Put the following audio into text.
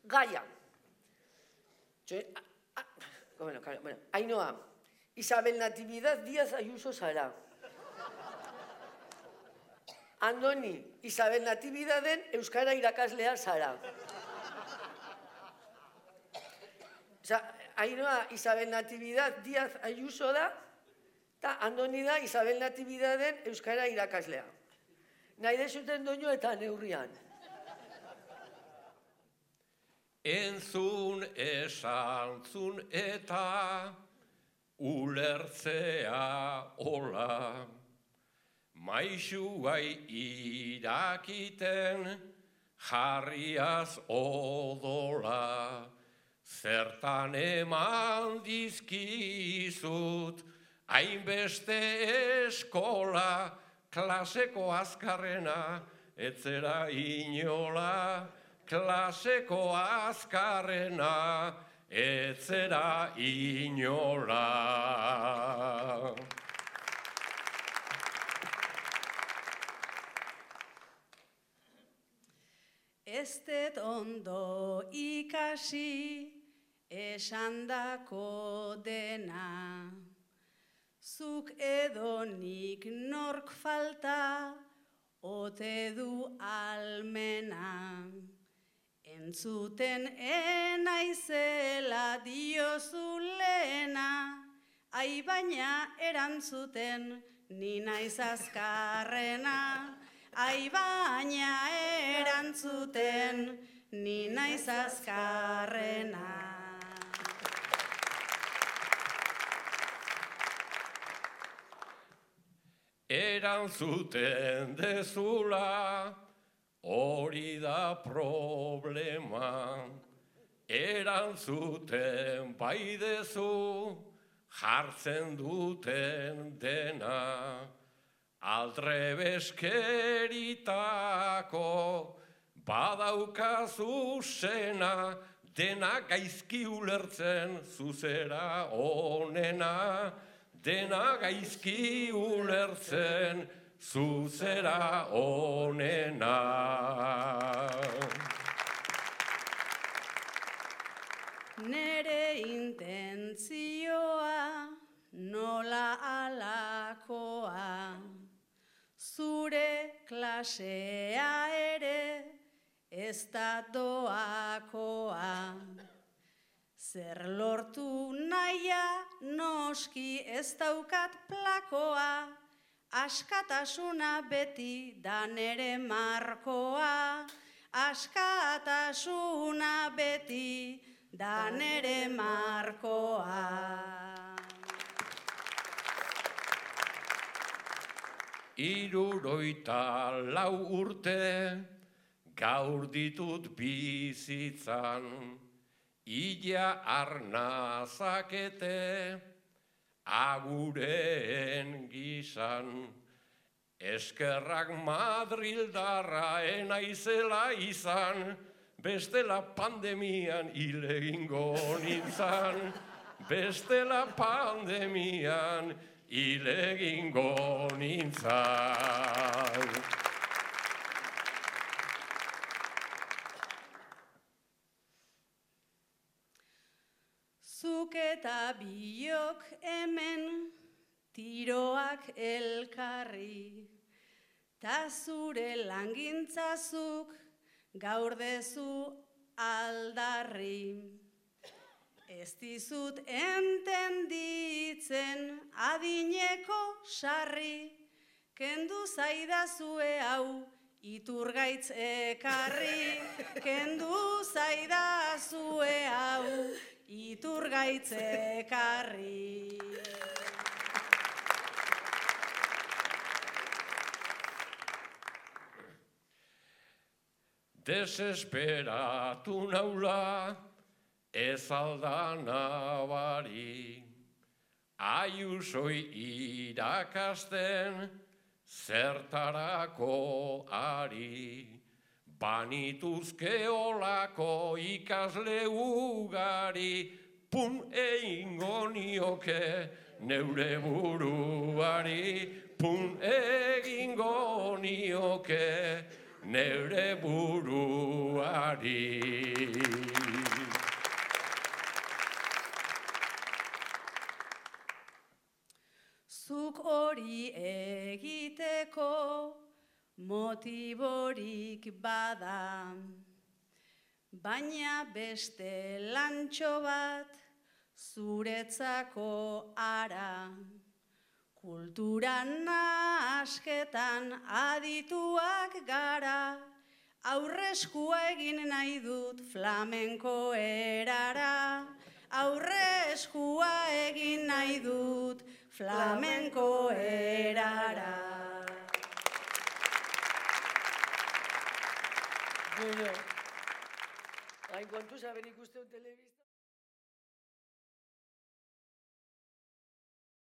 Gaia. Bueno, Ainhoa, Isabel Natividad Díaz Ayuso zara. Andoni, Isabel Natividaden euskara irakaslea zara. Ainhoa, Isabel Natividad Díaz Ayuso da, eta Andoni da Isabel Natividaden euskara irakaslea. Nahi dezuten doinu eta neurrian. Entzun, esantzun eta ulertzea hola, maixuai irakiten jarriaz odola, zertan eman dizkizut hainbeste eskola, klaseko azkarrena etzera inola, klaseko azkarrena etzera inola. Ez dut ondo ikasi esandako dena, zuk edo nik nork falta ote du almena. Entzuten enaizela diozu lehena, ai baina erantzuten ni naiz azkarrena. Ai baina erantzuten ni naiz azkarrena. Erantzuten dezula, hori da problema. Erantzuten bai dezu, jartzen duten dena. Aldrebeskeritako badaukazu zena, dena gaizki ulertzen zuzera onena. Dena gaizki ulertzen zuzera onena. Nere intentzioa nola alakoa, zure klasea ere ez da doakoa. Zer lortu nahia noski ez daukat plakoa, askatasuna beti da nere markoa. Askatasuna beti da nere markoa. 64 urte gaur ditut bizitzan, ila arnazakete agureen gizan. Eskerrak Madrildarra enaizela izan, bestela pandemian hil egingo nintzan. Bestela pandemian hil egingo nintzan. Zuk eta biok hemen tiroak elkarri, ta zure langintzazuk gaur dezu aldarri. Ez dizut entenditzen adineko sarri, kendu zaidazue hau Iturgaitz ekarri. Kendu zaidazue hau Iturgaitz ekarri. Desesperatu naula ez alda nabari, Ayusoi irakasten zertarako ari, banituzke olako ikasle ugari, pun egingo nioke neure buruari, pun egingo nioke neure buruari. motiborik bada. Baina beste lantxo bat zuretzako ara. Kulturan asketan adituak gara, aurreskua egin nahi dut flamenko erara. Aurreskua egin nahi dut flamenko erara. Bueno, hain kontuz haber ikusten telebista.